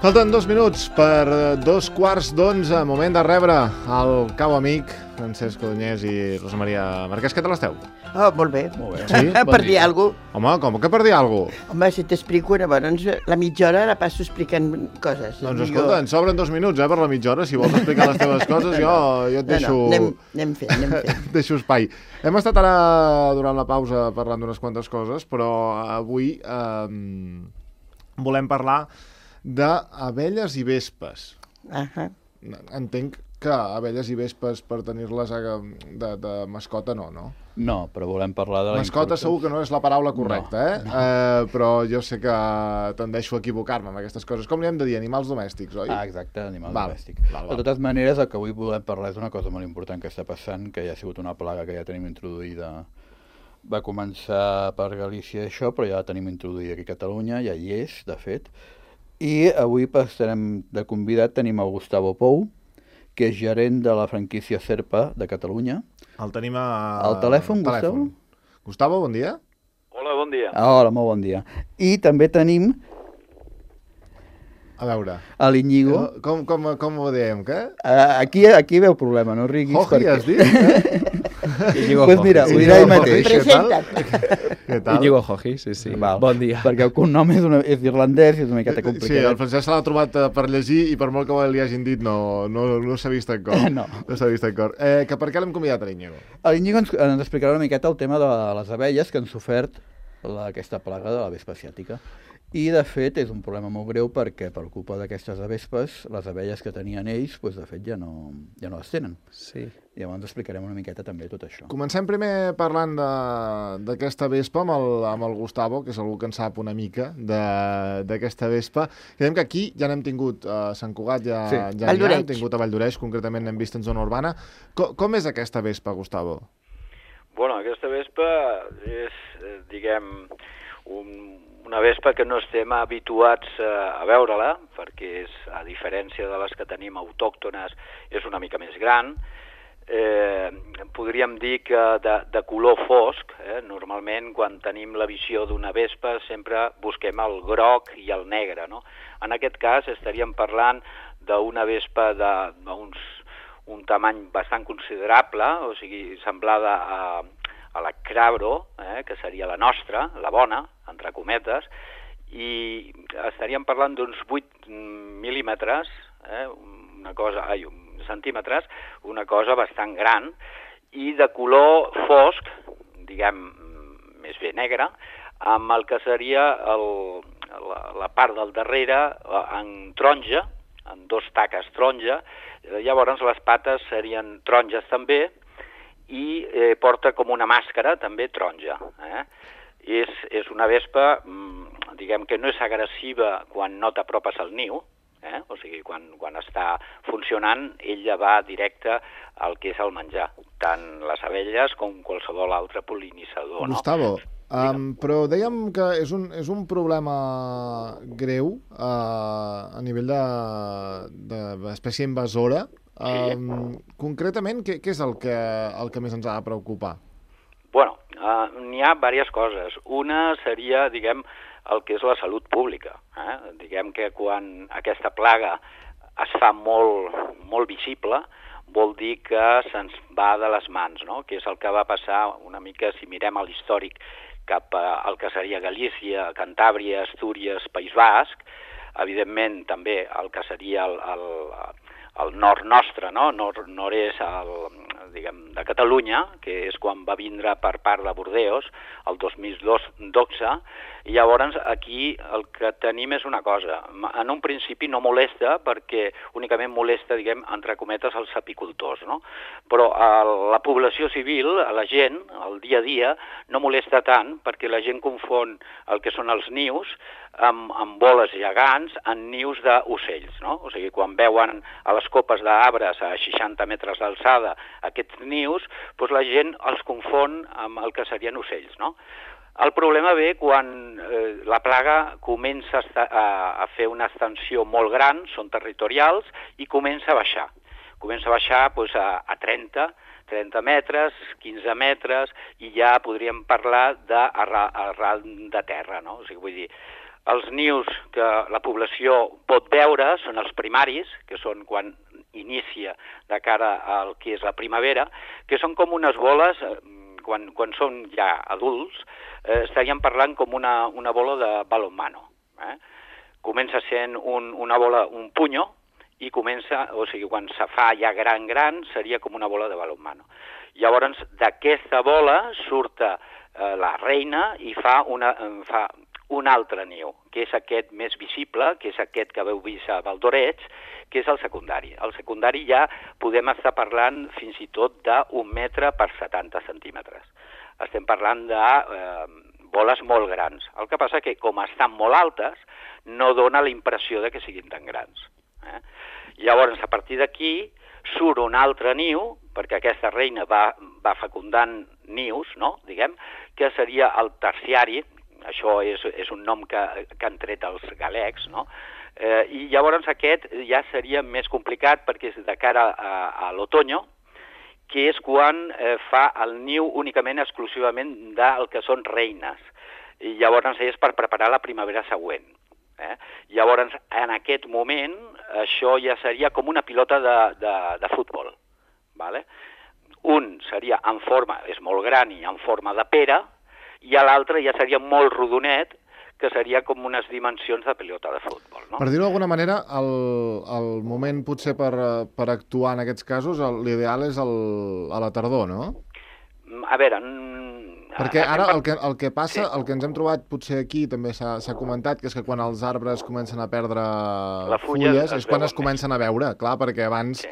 Falten 2 minuts per 2:15, moment de rebre el cau amic Francesc Codonyès i Rosa Maria Marquès. Què tal esteu? Oh, molt bé. Sí? Per dir alguna cosa. Home, com que per dir alguna cosa? Home, si t'explico, llavors la mitja hora la passo explicant coses. Doncs escolta, ens sobren 2 minuts per la mitja hora. Si vols explicar les teves coses, jo et deixo... No, anem fent. Et deixo espai. Hem estat ara, durant la pausa, parlant d'unes quantes coses, però avui volem parlar d'abelles i vespes. Entenc que abelles i vespes per tenir-les de mascota no? No, però volem parlar de la mascota segur que no és la paraula correcta, però jo sé que tendeixo a equivocar-me amb aquestes coses. Com li hem de dir? Animals domèstics, oi? Ah, exacte, animals domèstics. De totes maneres, el que avui volem parlar és una cosa molt important que està passant, que ja ha sigut una plaga que ja tenim introduïda. Va començar per Galícia això, però ja la tenim introduïda aquí a Catalunya, ja hi és, de fet. I avui estarem de convidat, tenim el Gustavo Pou, que és gerent de la franquícia Cerpa de Catalunya. El tenim al telèfon, Gustavo? Gustavo, bon dia. Hola, bon dia. Hola, molt bon dia. I també tenim... A veure... A l'Iñigo. Com ho diem, què? Aquí veu problema, no riguis. Joji, has dit? Pues mira, ho dirà ell mateix. Què tal? Iñigo Joji, sí. Bon dia. Perquè el cognom és irlandès i és una miqueta complicat. Sí, el Francesc se l'ha trobat per llegir i per molt que li hagin dit no s'ha vist en cor. No s'ha vist en cor. Que per què l'hem convidat a l'Iñigo? L'Iñigo ens explicarà una miqueta el tema de les abelles que han sofert aquesta plaga de la vespa asiàtica. I, de fet, és un problema molt greu perquè, per culpa d'aquestes avespes, les abelles que tenien ells, de fet, ja no les tenen. Sí. I llavors explicarem una miqueta també tot això. Comencem primer parlant d'aquesta vespa amb el Gustavo, que és algú que en sap una mica d'aquesta vespa. Creiem que aquí ja n'hem tingut a Sant Cugat, hem tingut a Valldoreix, concretament n'hem vist en zona urbana. Com és aquesta vespa, Gustavo? Bueno, aquesta vespa és, una vespa que no estem habituats a veure-la, perquè és, a diferència de les que tenim autòctones, és una mica més gran. Podríem dir que de color fosc, normalment quan tenim la visió d'una vespa sempre busquem el groc i el negre, no? En aquest cas estaríem parlant d'una vespa d'un tamany bastant considerable, o sigui, semblada a la Crabro, que seria la nostra, la bona, entre cometes, i estaríem parlant d'uns 8 mil·límetres, centímetres, una cosa bastant gran, i de color fosc, diguem, més bé negre, amb el que seria la part del darrere en taronja, en 2 taques taronja, llavors les pates serien taronges també, i porta com una màscara també taronja. És una vespa, diguem que no és agressiva quan no t'apropes al niu, o sigui, quan està funcionant, ella va directe al que és el menjar, tant les abelles com qualsevol altre pol·linitzador. Gustavo, però dèiem que és un problema greu a nivell d'espècie invasora. Concretament, què és el que més ens ha de preocupar? Bueno, n'hi ha diverses coses. Una seria, diguem, el que és la salut pública. Diguem que quan aquesta plaga es fa molt visible, vol dir que se'ns va de les mans, no? Que és el que va passar una mica, si mirem a l'històric, cap al que seria Galícia, Cantàbria, Astúries, País Basc, evidentment també el que seria el nord nostre, no? Nord-est de Catalunya, que és quan va vindre per part de Bordeus, el 2012, i llavors aquí el que tenim és una cosa. En un principi no molesta, perquè únicament molesta, diguem, entre cometes, els apicultors, no? Però la població civil, la gent, el dia a dia, no molesta tant, perquè la gent confon el que són els nius amb boles gegants en nius d'ocells, no? O sigui, quan veuen a les copes d'arbres a 60 metres d'alçada aquests nius, doncs la gent els confon amb el que serien ocells, no? El problema ve quan la plaga comença a fer una extensió molt gran, són territorials, i comença a baixar. Comença a baixar a 30 metres, 15 metres, i ja podríem parlar d'arral de terra, no? O sigui, vull dir, els nius que la població pot veure són els primaris, que són quan inicia de cara al que és la primavera, que són com unes boles, quan són ja adults, estaríem parlant com una bola de balonmano. Comença sent una bola, un punyo, i comença, o sigui, quan se fa ja gran, seria com una bola de balonmano. Llavors, d'aquesta bola surt la reina i fa un altre niu, que és aquest més visible, que és aquest que veu vist a Valdoreig, que és el secundari. El secundari ja podem estar parlant fins i tot d'1 metre per 70 centímetres. Estem parlant de boles molt grans. El que passa que, com estan molt altes, no dona la impressió de que siguin tan grans. Llavors, a partir d'aquí, surt un altre niu, perquè aquesta reina va fecundant nius, no? Diguem, que seria el terciari. Això és un nom que han tret els galecs, no? I llavors aquest ja seria més complicat perquè és de cara a l'otoño, que és quan fa el niu únicament exclusivament del que són reines. I llavors és per preparar la primavera següent. Llavors, en aquest moment, això ja seria com una pilota de futbol. Un seria en forma, és molt gran i en forma de pera, i l'altre ja seria molt rodonet, que seria com unes dimensions de pilota de futbol. No? Per dir-ho d'alguna manera, el moment potser per actuar en aquests casos, l'ideal és a la tardor, no? A veure... Perquè ara el que passa, el que ens hem trobat potser aquí, també s'ha comentat, que és que quan els arbres comencen a perdre fulles és quan es comencen a veure, clar, perquè abans,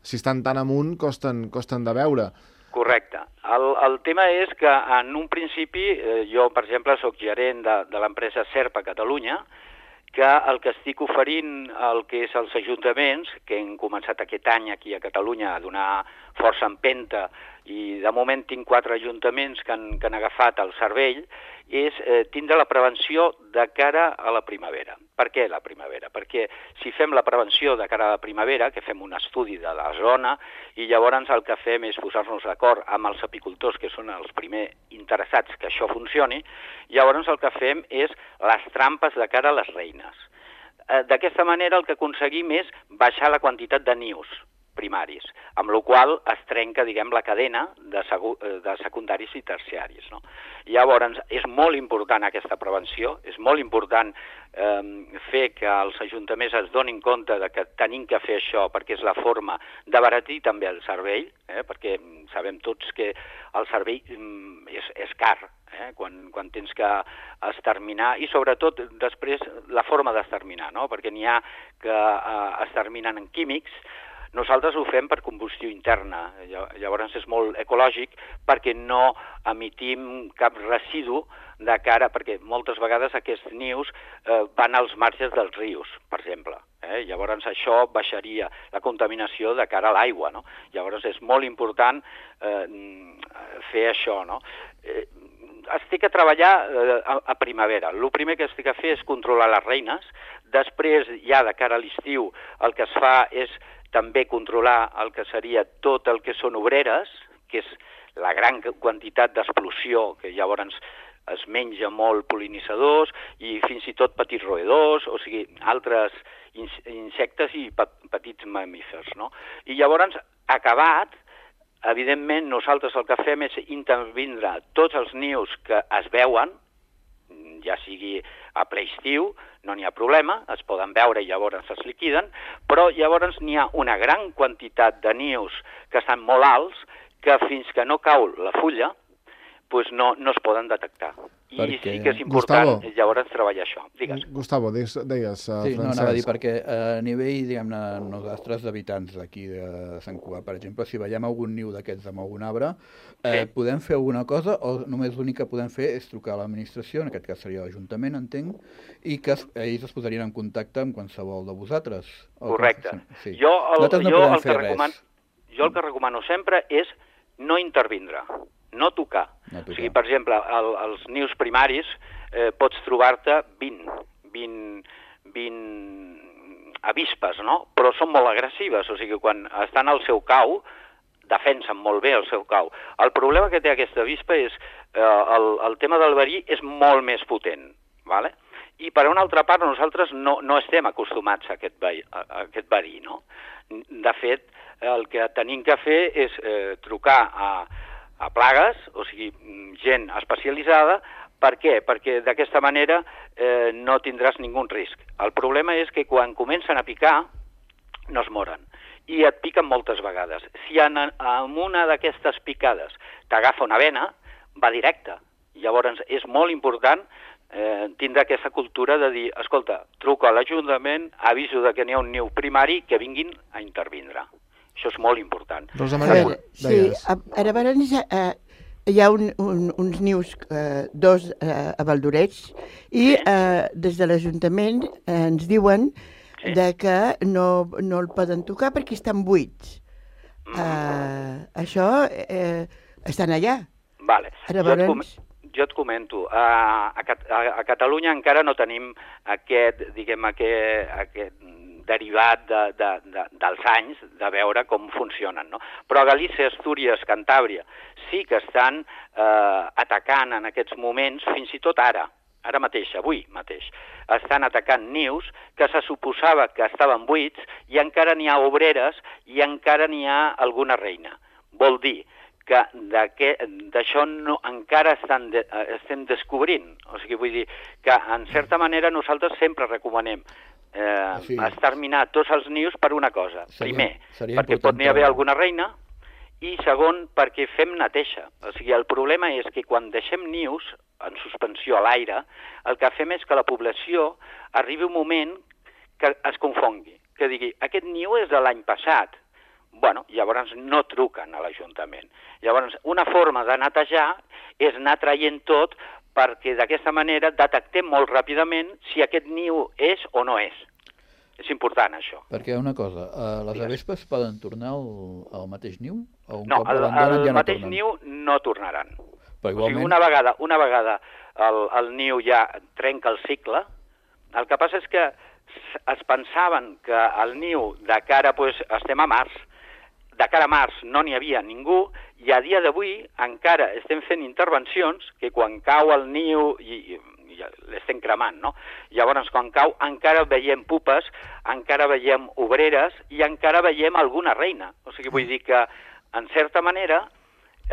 si estan tan amunt, costen de veure. Correcte. El tema és que en un principi, jo, per exemple, soc gerent de l'empresa SERP a Catalunya, que el que estic oferint el que és els ajuntaments, que hem començat aquest any aquí a Catalunya a donar força empenta, i de moment tinc 4 ajuntaments que han agafat el cervell, és tindre la prevenció de cara a la primavera. Per què la primavera? Perquè si fem la prevenció de cara a la primavera, que fem un estudi de la zona, i llavors el que fem és posar-nos d'acord amb els apicultors, que són els primers interessats que això funcioni, llavors el que fem és les trampes de cara a les reines. D'aquesta manera el que aconseguim és baixar la quantitat de nius primaris, amb la qual es trenca, diguem, la cadena de secundaris i terciaris. No? Llavors, és molt important aquesta prevenció, és molt important fer que els ajuntaments es donin compte de que tenim que fer això perquè és la forma d'abaratir també el cervell, perquè sabem tots que el cervell és car, quan tens que exterminar, i sobretot després la forma d'exterminar, no? Perquè n'hi ha que exterminen en químics. Nosaltres ho fem per combustió interna, llavors és molt ecològic perquè no emitim cap residu de cara, perquè moltes vegades aquests nius van als marges dels rius, per exemple. Llavors això baixaria la contaminació de cara a l'aigua, no? Llavors és molt important fer això, no? Estic a treballar a primavera. El primer que estic a fer és controlar les reines. Després, ja de cara a l'estiu, el que es fa és també controlar el que seria tot el que són obreres, que és la gran quantitat d'explosió, que llavors es menja molt pol·linitzadors i fins i tot petits roedors, o sigui, altres insectes i petits mamífers, no? I llavors, acabat, evidentment, nosaltres el que fem és intervindre tots els nius que es veuen, ja sigui a ple estiu, no n'hi ha problema, es poden veure i llavors es liquiden, però llavors n'hi ha una gran quantitat de nius que estan molt alts que fins que no cau la fulla doncs no es poden detectar. I sí que és important llavors treballar això. Digues. Gustavo, deies, Francesc. Sí, no, anava a dir, perquè a nivell, diguem-ne, nosaltres d'habitants d'aquí de Sant Cugat, per exemple, si veiem algun niu d'aquests amb algun arbre, podem fer alguna cosa o només l'únic que podem fer és trucar a l'administració, en aquest cas seria l'Ajuntament, entenc, i que ells es posarien en contacte amb qualsevol de vosaltres? Correcte. Sí. Jo el que recomano sempre és no intervindre, no tocar. O sigui, per exemple, els nius primaris pots trobar-te 20 avispes, no? Però són molt agressives, o sigui, quan estan al seu cau, defensen molt bé el seu cau. El problema que té aquesta avispa és el tema del verí és molt més potent, ¿vale? I per una altra part, nosaltres no estem acostumats a aquest verí, no? De fet, el que tenim que fer és trucar a plagues, o sigui, gent especialitzada. Per què? Perquè d'aquesta manera no tindràs ningú risc. El problema és que quan comencen a picar no es moren i et piquen moltes vegades. Si en una d'aquestes picades t'agafa una vena, va directe. Llavors és molt important tindre aquesta cultura de dir, escolta, truco a l'Ajuntament, aviso que n'hi ha un niu primari que vinguin a intervindre. Això és molt important. Rosa Maria, deies. Ara abans hi ha uns nius, dos a Valldoreix, i des de l'Ajuntament ens diuen que no el poden tocar perquè estan buits. Això estan allà. Vale. Jo et comento, a Catalunya encara no tenim aquest derivat dels anys de veure com funcionen, no? Però a Galícia, Astúries, Cantàbria sí que estan atacant en aquests moments, fins i tot ara mateix, avui mateix, estan atacant nius que se suposava que estaven buits i encara n'hi ha obreres i encara n'hi ha alguna reina. Vol dir que d'això encara estem descobrint. O sigui, vull dir que, en certa manera, nosaltres sempre recomanem exterminar tots els nius per una cosa. Primer, perquè pot n'hi haver alguna reina, i segon, perquè fem neteja. O sigui, el problema és que quan deixem nius en suspensió a l'aire, el que fem és que la població arribi un moment que es confongui, que digui, aquest niu és de l'any passat. Bueno, llavors no truquen a l'Ajuntament. Llavors, una forma de netejar és anar traient tot perquè d'aquesta manera detectem molt ràpidament si aquest niu és o no és. És important, això. Perquè una cosa, les avespes poden tornar al mateix niu? No, el mateix niu no tornaran. Però igualment... O sigui, una vegada el niu ja trenca el cicle, el que passa és que es pensaven que el niu de cara, estem a març, de cara a març no n'hi havia ningú, i a dia d'avui encara estem fent intervencions que quan cau el niu i l'estem cremant, no? Llavors, quan cau, encara veiem pupes, encara veiem obreres i encara veiem alguna reina. O sigui, vull dir que, en certa manera,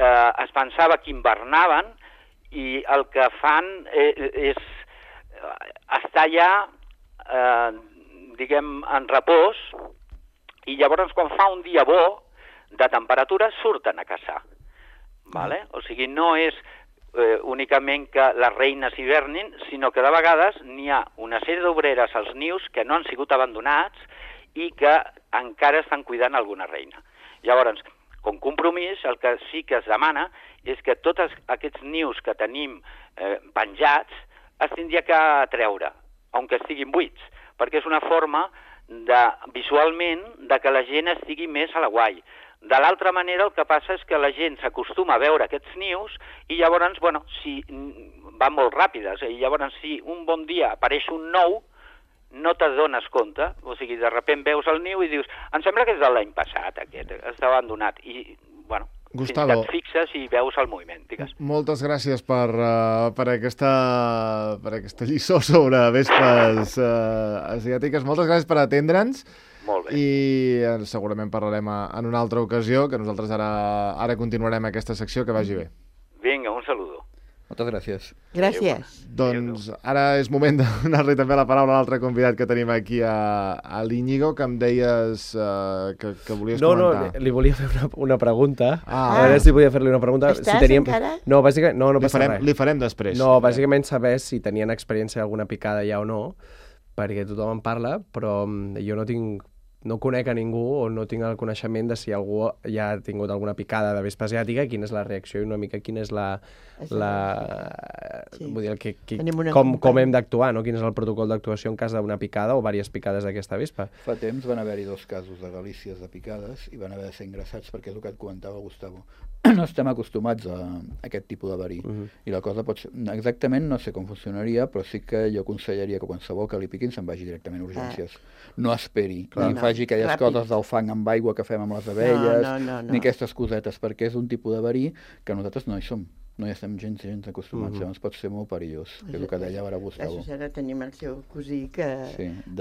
es pensava que hivernaven i el que fan és estar ja, diguem, en repòs, i llavors, quan fa un dia bo, de temperatura, surten a caçar. Vale? O sigui, no és únicament que les reines hivernin, sinó que de vegades n'hi ha una sèrie d'obreres als nius que no han sigut abandonats i que encara estan cuidant alguna reina. Llavors, com compromís, el que sí que es demana és que tots aquests nius que tenim penjats es tindria que treure, aunque estiguin buits, perquè és una forma visualment que la gent estigui més a la guai. De l'altra manera, el que passa és que la gent s'acostuma a veure aquests nius i llavors, bueno, si van molt ràpides, i llavors si un bon dia apareix un nou, no t'adones compte, o sigui, de sobte veus el niu i dius, em sembla que és de l'any passat aquest, està abandonat, i, bueno, Gustavo, fins que et fixes i veus el moviment, digues. Moltes gràcies per aquesta lliçó sobre vespes asiàtiques, moltes gràcies per atendre'ns. Molt bé. I segurament parlarem en una altra ocasió, que nosaltres ara continuarem aquesta secció, que vagi bé. Vinga, un saludo. Moltes gràcies. Gràcies. Doncs ara és moment de donar-li també la paraula a l'altre convidat que tenim aquí, a l'Íñigo, que em deies que volies comentar. No, li volia fer una pregunta. A veure si podia fer-li una pregunta. Estàs encara? No, bàsicament, no passa res. Li farem després. No, bàsicament saber si tenien experiència d'alguna picada ja o no, perquè tothom en parla, però jo no conec a ningú o no tinc el coneixement de si algú ja ha tingut alguna picada de vespa asiàtica, quina és la reacció i una mica quina és vull dir, com hem d'actuar, no? Quin és el protocol d'actuació en cas d'una picada o diverses picades d'aquesta vespa. Fa temps van haver-hi 2 casos de galícies de picades i van haver de ser ingressats perquè és el que et comentava Gustavo. No estem acostumats a aquest tipus de verí. I la cosa pot ser... Exactament no sé com funcionaria, però sí que jo aconsellaria que qualsevol que li piquin se'n vagi directament a urgències. No esperi, ni faci aquelles coses del fang amb aigua que fem amb les abelles, ni aquestes cosetes, perquè és un tipus de verí que nosaltres no hi som. No hi estem gens acostumats, llavors pot ser molt perillós, que és el que deia ara Gustavo. Ara tenim el seu cosí que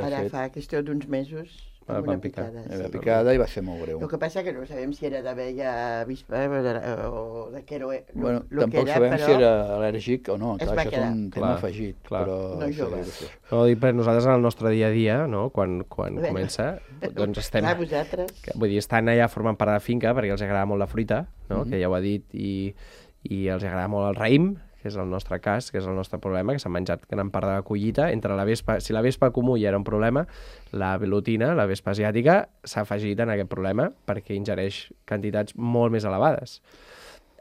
ara fa qüestió d'uns mesos amb una picada. Una picada i va ser molt greu. El que passa que no sabem si era d'abella avispa o de què era. Bueno, tampoc sabem si era al·lèrgic o no, clar, això és un tema afegit. No joves. No, dic, per nosaltres en el nostre dia a dia, no? Quan comença, doncs estem... Clar, vosaltres. Vull dir, estan allà formant part de la finca perquè els agrada molt la fruita, no? Que ja ho ha dit, i els agrada molt el raïm, que és el nostre cas, que és el nostre problema, que s'ha menjat gran part de la collita. Entre la vespa, si la vespa comú ja era un problema, la velutina, la vespa asiàtica, s'ha afegit en aquest problema perquè ingereix quantitats molt més elevades.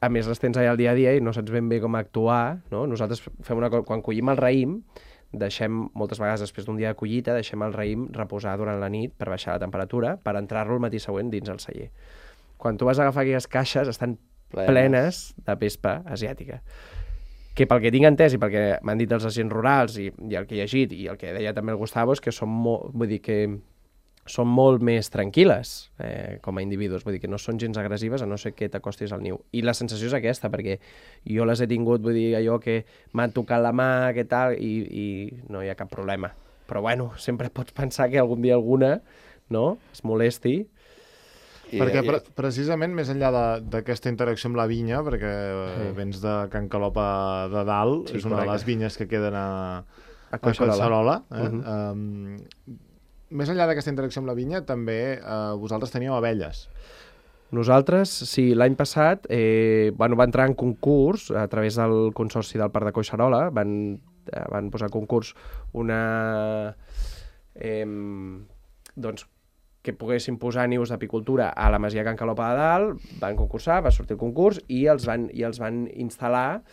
A més, les tens allà al dia a dia i no saps ben bé com actuar, no? Nosaltres fem una cosa, quan collim el raïm, deixem, moltes vegades després d'un dia de collita, deixem el raïm reposar durant la nit per baixar la temperatura, per entrar-lo el matí següent dins el celler. Quan tu vas a agafar aquelles caixes, estan plenes de vespa asiàtica. Que pel que tinc entès i pel que m'han dit els agents rurals i el que he llegit i el que deia també el Gustavo és que són molt més tranquil·les com a individus, vull dir que no són gens agressives a no ser que t'acostis al niu. I la sensació és aquesta, perquè jo les he tingut, vull dir, allò que m'han tocat la mà, que tal, i no hi ha cap problema. Però bueno, sempre pots pensar que algun dia alguna, no?, es molesti. Perquè precisament més enllà d'aquesta interacció amb la vinya, perquè vens de Can Calopa de Dalt, és una de les vinyes que queden a Collserola. Més enllà d'aquesta interacció amb la vinya, també vosaltres teníeu abelles. Nosaltres, sí, l'any passat va entrar en concurs a través del Consorci del Parc de Collserola, van posar a concurs una... doncs que poguessin posar nius d'apicultura a la masia Can Calopa de Dalt, van concursar, va sortir el concurs i els van instal·lar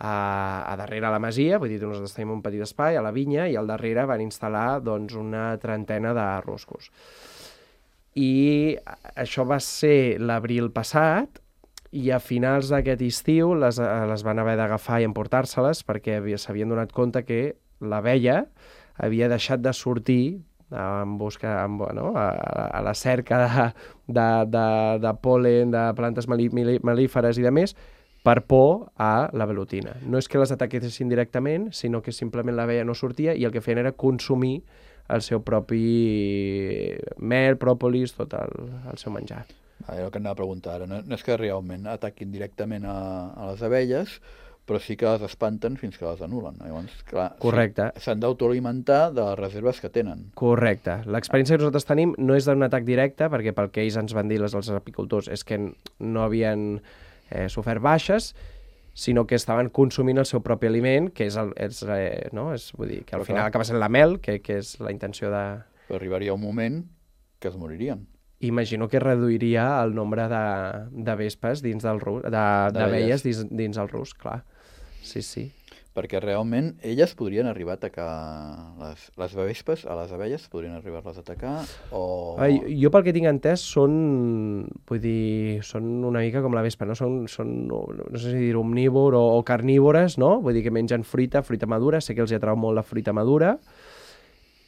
a darrere la masia, vull dir, nosaltres tenim un petit espai a la vinya i al darrere van instal·lar doncs, una trentena de ruscos. I això va ser l'abril passat i a finals d'aquest estiu les van haver d'agafar i emportar-se-les perquè s'havien donat compte que l'abella havia deixat de sortir a la cerca de pol·len, de plantes mel·líferes i de més, per por a la velutina. No és que les ataquessin directament, sinó que simplement l'abella no sortia i el que feien era consumir el seu propi mel, pròpolis, tot el seu menjar. El que anava a preguntar ara, no és que realment ataquin directament a les abelles, però sí que les espanten fins que les anulen. Llavors, clar, correcte. S'han d'autoalimentar de les reserves que tenen. Correcte. L'experiència que nosaltres tenim no és d'un atac directe, perquè pel que ells ens van dir, els apicultors, és que no havien sofert baixes, sinó que estaven consumint el seu propi aliment, que vull dir, que al final acaba sent la mel, que és la intenció de... Però arribaria un moment que es moririen. Imagino que reduiria el nombre de vespes dins del rusc, d'abelles dins el rusc, clar. Sí. Perquè realment elles podrien arribar a atacar les vespes, a les abelles podrien arribar-les a atacar o... Jo pel que tinc entès són una mica com la vespa, no? Són no sé si dir omnívor o carnívores, no? Vull dir que mengen fruita madura, sé que els atrau molt la fruita madura,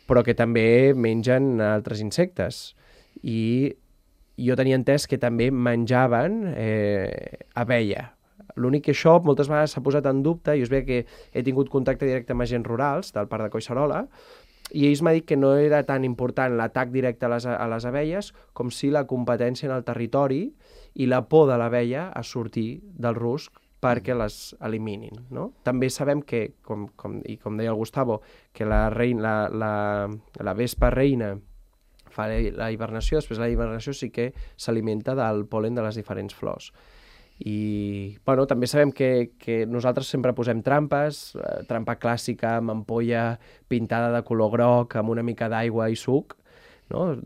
però que també mengen altres insectes. I jo tenia entès que també menjaven abella. L'únic que això moltes vegades s'ha posat en dubte, i us veig que he tingut contacte directe amb agents rurals del Parc de Collserola, i ells m'han dit que no era tan important l'atac directe a les abelles com si la competència en el territori i la por de l'abella a sortir del rusc perquè les eliminin, no? També sabem que, com deia el Gustavo, que la vespa reina fa la hibernació, després la hibernació sí que s'alimenta del pol·len de les diferents flors. I també sabem que nosaltres sempre posem trampes, trampa clàssica amb ampolla pintada de color groc, amb una mica d'aigua i suc, no?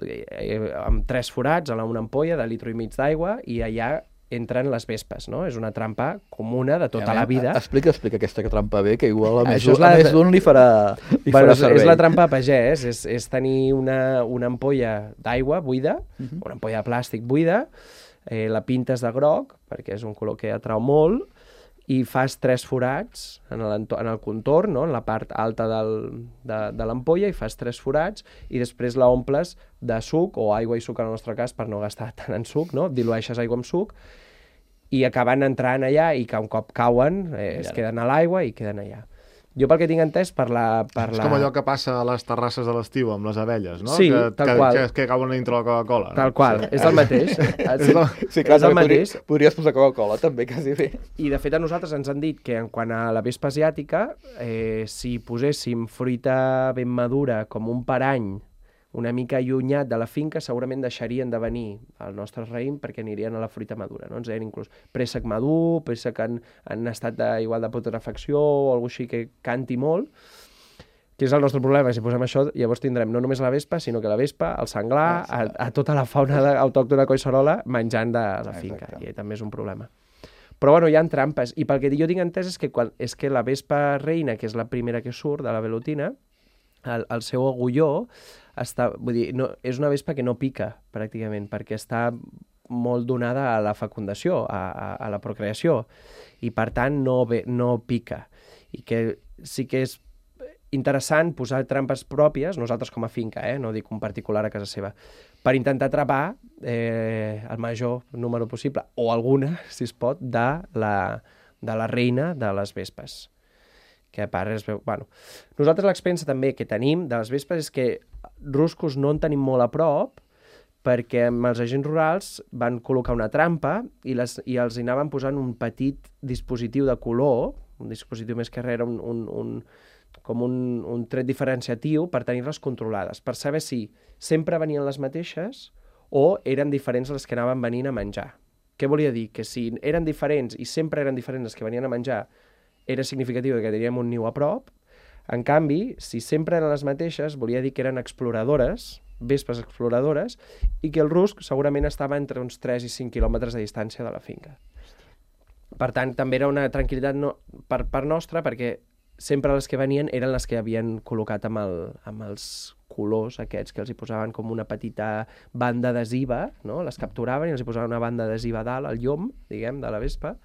Amb 3 forats en una ampolla de 1,5 litres d'aigua, i allà entren les vespes, no? És una trampa comuna de tota la vida. Explica aquesta trampa bé, que igual a més d'un li farà servei. És la trampa a pagès, és tenir una ampolla d'aigua buida, una ampolla de plàstic buida, la pintes de groc, perquè és un color que atrau molt, i fas 3 forats en el contorn, no? En la part alta de l'ampolla, i fas 3 forats i després la omples de suc o aigua i suc en el nostre cas per no gastar tant en suc, no? Dilueixes aigua amb suc i acaben entrant allà i que un cop cauen es queden a l'aigua i queden allà. Jo pel que tinc entès per la... És com allò que passa a les terrasses de l'estiu amb les abelles, no? Sí, tal qual. Que cauen dintre la Coca-Cola. Tal qual, és el mateix. Sí, clar, és el mateix. Podries posar Coca-Cola també, quasi bé. I de fet a nosaltres ens han dit que en quant a la vespa asiàtica, si poséssim fruita ben madura com un parany una mica allunyat de la finca, segurament deixarien de venir al nostre raïm perquè anirien a la fruita madura, no? Ens deien inclús préssec madur, préssec que han estat igual de putrefacció o alguna així que canti molt, que és el nostre problema. Si posem això, llavors tindrem no només la vespa, sinó que la vespa, el senglar, a tota la fauna autòctona collserola menjant de la finca. I també és un problema. Però bueno, hi ha trampes. I pel que jo tinc entès és que la vespa reina, que és la primera que surt de la velutina, el seu agulló vull dir, és una vespa que no pica, pràcticament, perquè està molt donada a la fecundació, a la procreació, i per tant no pica. I que sí que és interessant posar trampes pròpies, nosaltres com a finca, no dic un particular a casa seva, per intentar atrapar el major número possible, o alguna, si es pot, de la reina de les vespes. Que a part es veu... Bueno, nosaltres l'experiència també que tenim de les vespes és que ruscos no en tenim molt a prop perquè amb els agents rurals van col·locar una trampa i els hi anaven posant un petit dispositiu de color, un dispositiu més que res, com un tret diferenciatiu per tenir-les controlades, per saber si sempre venien les mateixes o eren diferents les que anaven venint a menjar. Què volia dir? Que si eren diferents i sempre eren diferents les que venien a menjar, era significatiu que teníem un niu a prop. En canvi, si sempre eren les mateixes, volia dir que eren exploradores, vespes exploradores, i que el rusc segurament estava entre uns 3 i 5 quilòmetres de distància de la finca. Per tant, també era una tranquil·litat per part nostra, perquè sempre les que venien eren les que havien col·locat amb els colors aquests, que els hi posaven com una petita banda adhesiva, no? Les capturaven i els hi posaven una banda adhesiva dalt, al llom, diguem, de la vespa,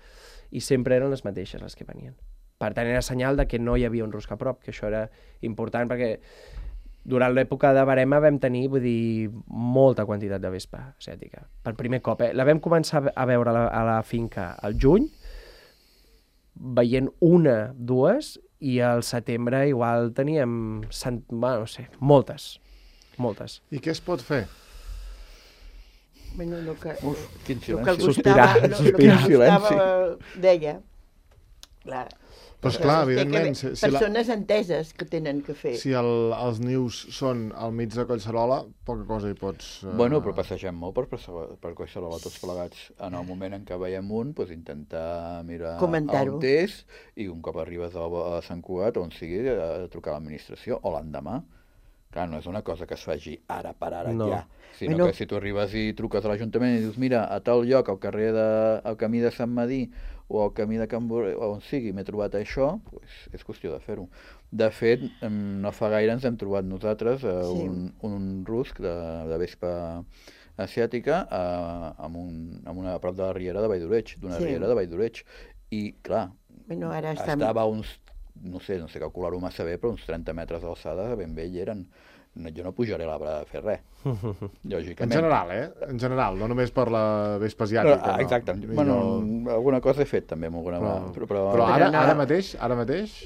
i sempre eren les mateixes les que venien. Per tant, era senyal de que no hi havia un rusc a prop, que això era important, perquè durant l'època de barema vam tenir, vull dir, molta quantitat de vespa asiàtica. Per primer cop, La vam començar a veure a la finca al juny, veient 1, 2, i al setembre igual teníem, no sé, moltes. I què es pot fer? Bueno, quin silenci. El que Gustavo deia. Clar. Però esclar, evidentment... Persones enteses que tenen que fer. Si els nius són al mig de Collserola, poca cosa hi pots... Bueno, però passegem molt per Collserola tots plegats. En el moment en què veiem un, intentar mirar on és, i un cop arribes a Sant Cugat, on sigui, trucar a l'administració, o l'endemà. Clar, no és una cosa que es faci ara per ara ja, sinó que si tu arribes i truques a l'Ajuntament i dius, mira, a tal lloc, al camí de Sant Madí o al camí de Can Borrell, on sigui, m'he trobat això, és qüestió de fer-ho. De fet, no fa gaire ens hem trobat nosaltres un rusc de vespa asiàtica a prop de la riera de Valldoreig, d'una riera de Valldoreig. I, clar, estava a uns, no sé calcular-ho massa bé, però uns 30 metres d'alçada ben bé hi eren. Jo no pujaré a l'arbre a fer res, lògicament. En general, En general, no només per la vespa asiàtica. Exacte. Bueno, alguna cosa he fet també amb alguna... Però ara mateix?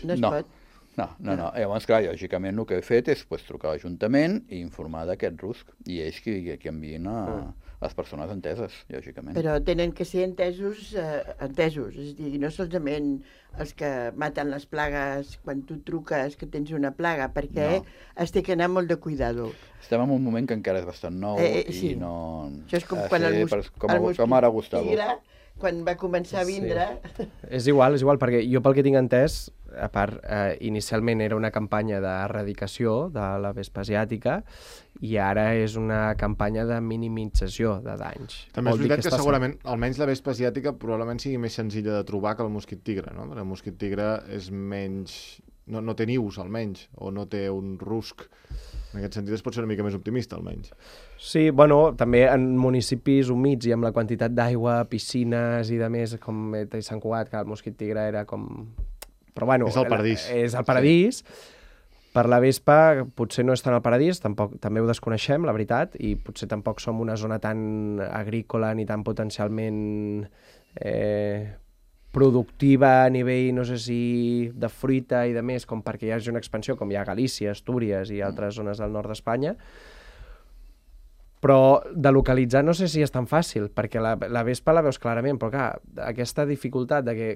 No es pot. No. Llavors, clar, lògicament el que he fet és trucar a l'Ajuntament i informar d'aquest rusc, i ells qui envien a les persones enteses, lògicament. Però tenen que ser entesos, és a dir, no solament els que maten les plagues quan tu truques que tens una plaga, perquè es té que anar molt de cuidado. Estem en un moment que encara és bastant nou i no... Això és com quan el mosquit tigre, quan va començar a vindre... És igual, perquè jo pel que tinc entès, a part, inicialment era una campanya d'erradicació de la vespa asiàtica i ara és una campanya de minimització de danys. També és veritat que segurament, almenys la vespa asiàtica probablement sigui més senzilla de trobar que el mosquit tigre, no? El mosquit tigre és menys... no té nius, almenys, o no té un rusc En aquest sentit es pot ser una mica més optimista, almenys. Sí, bueno, també en municipis humits i amb la quantitat d'aigua, piscines i de més, com Sant Cugat, que el Mosquit Tigre era com... Però bueno... És el paradís. És el paradís. Sí. Per la vespa potser no és tant el paradís, també ho desconeixem, la veritat, i potser tampoc som una zona tan agrícola ni tan potencialment productiva a nivell, no sé si de fruita i de més, com perquè hi hagi una expansió, com hi ha Galícia, Astúries i altres zones del nord d'Espanya. Però de localitzar no sé si és tan fàcil, perquè la vespa la veus clarament, però clar, aquesta dificultat de que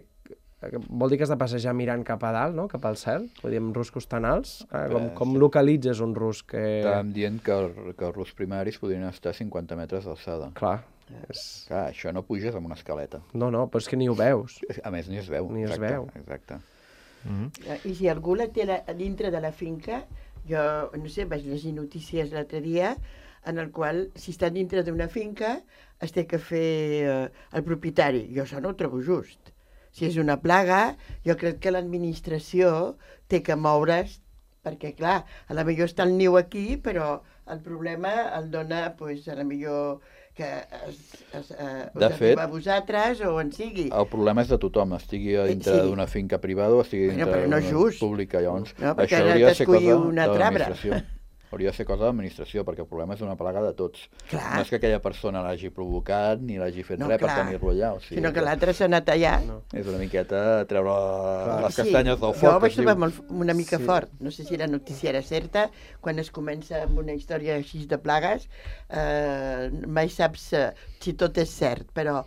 vol dir que has de passejar mirant cap a dalt, no? Cap al cel, vull dir, amb ruscos tan alts. Com localitzes un rusc? Estàvem dient que els ruscs primaris podrien estar a 50 metres d'alçada. Clar. Clar, això no puges amb una escaleta. No, però és que ni ho veus. A més, ni es veu. Ni es veu. Exacte. I si algú la té dintre de la finca, jo, no sé, vaig llegir notícies l'altre dia, en el qual, si està dintre d'una finca, es té que fer el propietari. Jo això no ho trobo just. Si és una plaga, jo crec que l'administració té que moure's, perquè, clar, a la millor està el niu aquí, però el problema el dona, doncs, a la millor que us arriba a vosaltres o en sigui. El problema és de tothom, estigui dintre d'una finca privada o estigui dintre d'una pública. Llavors, no, perquè això hauria de ser cosa de l'administració. Hauria de ser cosa de l'administració, perquè el problema és una plaga de tots. Clar. No és que aquella persona l'hagi provocat ni l'hagi fet res per tenir-lo allà. Sinó que l'altre s'ha anat allà. És una miqueta treure les castanyes del foc. Jo ho vaig trobar una mica fort. No sé si la notícia era certa. Quan es comença amb una història així de plagues, mai saps si tot és cert, però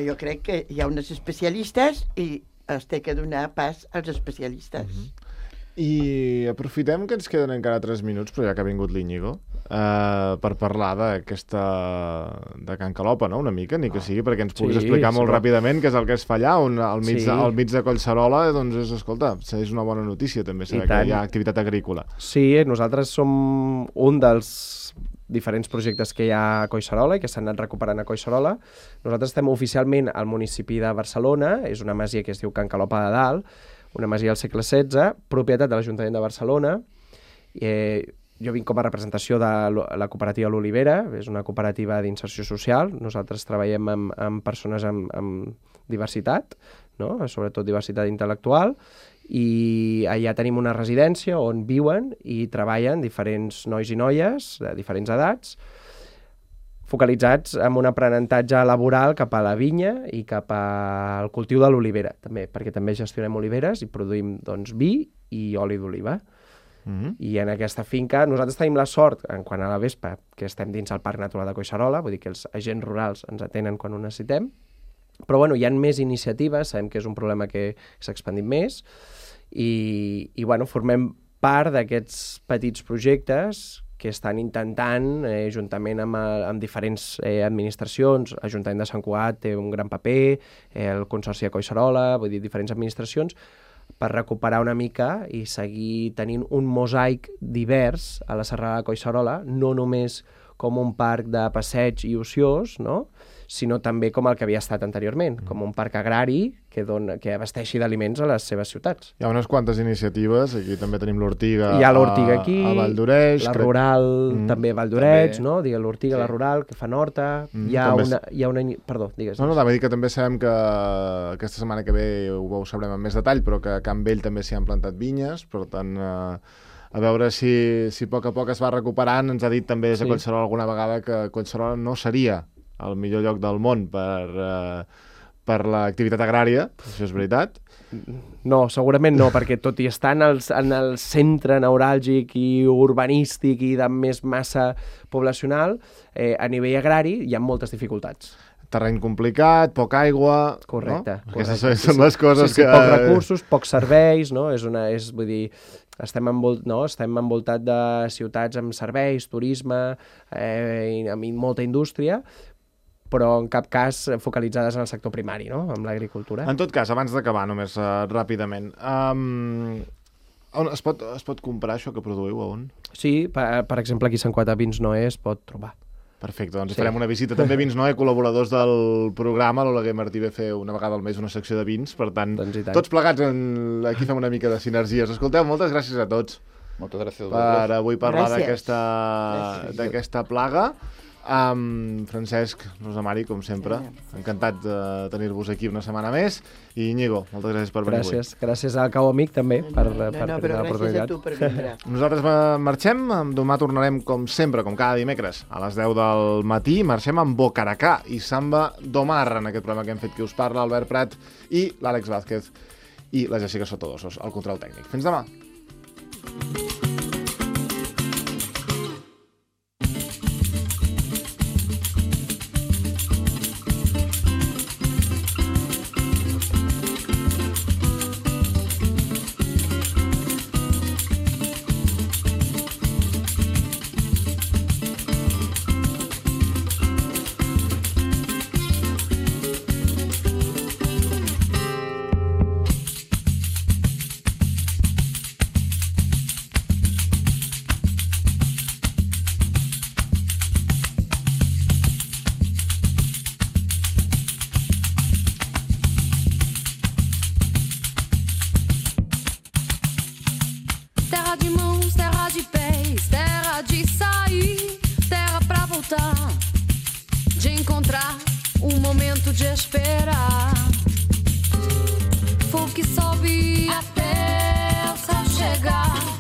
jo crec que hi ha uns especialistes i es té que donar pas als especialistes. I aprofitem que ens queden encara 3 minuts, però ja que ha vingut l'Iñigo, per parlar d'aquesta de Can Calopa, no?, una mica, ni que sigui, perquè ens puguis explicar molt ràpidament què és el que es fa allà, on al mig de Collserola, doncs és, escolta, és una bona notícia també saber que hi ha activitat agrícola. Sí, nosaltres som un dels diferents projectes que hi ha a Collserola i que s'han anat recuperant a Collserola. Nosaltres estem oficialment al municipi de Barcelona, és una masia que es diu Can Calopa de Dalt, una masia del segle XVI, propietat de l'Ajuntament de Barcelona. Jo vinc com a representació de la cooperativa L'Olivera, és una cooperativa d'inserció social. Nosaltres treballem amb persones amb diversitat, no? Sobretot diversitat intel·lectual, i allà tenim una residència on viuen i treballen diferents nois i noies de diferents edats, focalitzats en un aprenentatge laboral cap a la vinya i cap al cultiu de l'olivera, també, perquè també gestionem oliveres i produïm, doncs, vi i oli d'oliva. I en aquesta finca nosaltres tenim la sort, en quant a la vespa, que estem dins el Parc Natural de Collserola, vull dir que els agents rurals ens atenen quan ho necessitem, però bueno, hi ha més iniciatives, sabem que és un problema que s'ha expandit més, i bueno, formem part d'aquests petits projectes que estan intentant, juntament amb diferents administracions, l'Ajuntament de Sant Cugat té un gran paper, el Consorci de Collserola, vull dir, diferents administracions, per recuperar una mica i seguir tenint un mosaic divers a la serralada de Collserola, no només com un parc de passeig i ociós, no?, sinó també com el que havia estat anteriorment, com un parc agrari que abasteixi d'aliments a les seves ciutats. Hi ha unes quantes iniciatives, aquí també tenim l'Ortiga hi ha l'Ortiga aquí, a Valldoreix, la rural també a Valldoreix, no? Digue l'Ortiga, la rural, que fan horta, hi ha una... Perdó, digues. No, va dir que també sabem que aquesta setmana que ve ho sabrem amb més detall, però que a Can Vell també s'hi han plantat vinyes, per tant... a veure si a poc es va recuperant. Ens ha dit també des de Collserola alguna vegada que Collserola no seria el millor lloc del món per l'activitat agrària, això és veritat? No, segurament no, perquè tot i estar en el centre neuràlgic i urbanístic i de més massa poblacional, a nivell agrari hi ha moltes dificultats. Terreny complicat, poca aigua... Correcte. No? Aquestes són les coses que... Pocs recursos, pocs serveis, no? Vull dir, estem envoltat de ciutats amb serveis, turisme, amb molta indústria, però en cap cas focalitzades en el sector primari, no?, amb l'agricultura. En tot cas, abans d'acabar, només ràpidament, on es pot comprar això que produïu, on? Sí, per exemple, aquí a Sant Cugat a Vins Noé es pot trobar. Perfecte, doncs farem una visita. També Vins Noé, col·laboradors del programa, l'Oleguer Martí ve a fer una vegada al mes una secció de vins, per tant, tots plegats aquí fem una mica de sinergies. Escolteu, moltes gràcies a tots. Moltes gràcies per avui parlar d'aquesta plaga. Francesc, Rosa Mari, com sempre, encantat de tenir-vos aquí una setmana més. I Íñigo, moltes gràcies per venir avui. Gràcies al Cau Amic també per però gràcies a tu per vindre. Nosaltres marxem, demà tornarem com sempre, com cada dimecres, a les 10 del matí. Marxem amb Bocaracà i Samba d'Omar, en aquest programa que hem fet qui us parla, Albert Prat i l'Àlex Vázquez i la Jessica Sotodosos, al control tècnic. Fins demà. De encontrar momento de esperar. Fogo que sobe até o céu chegar.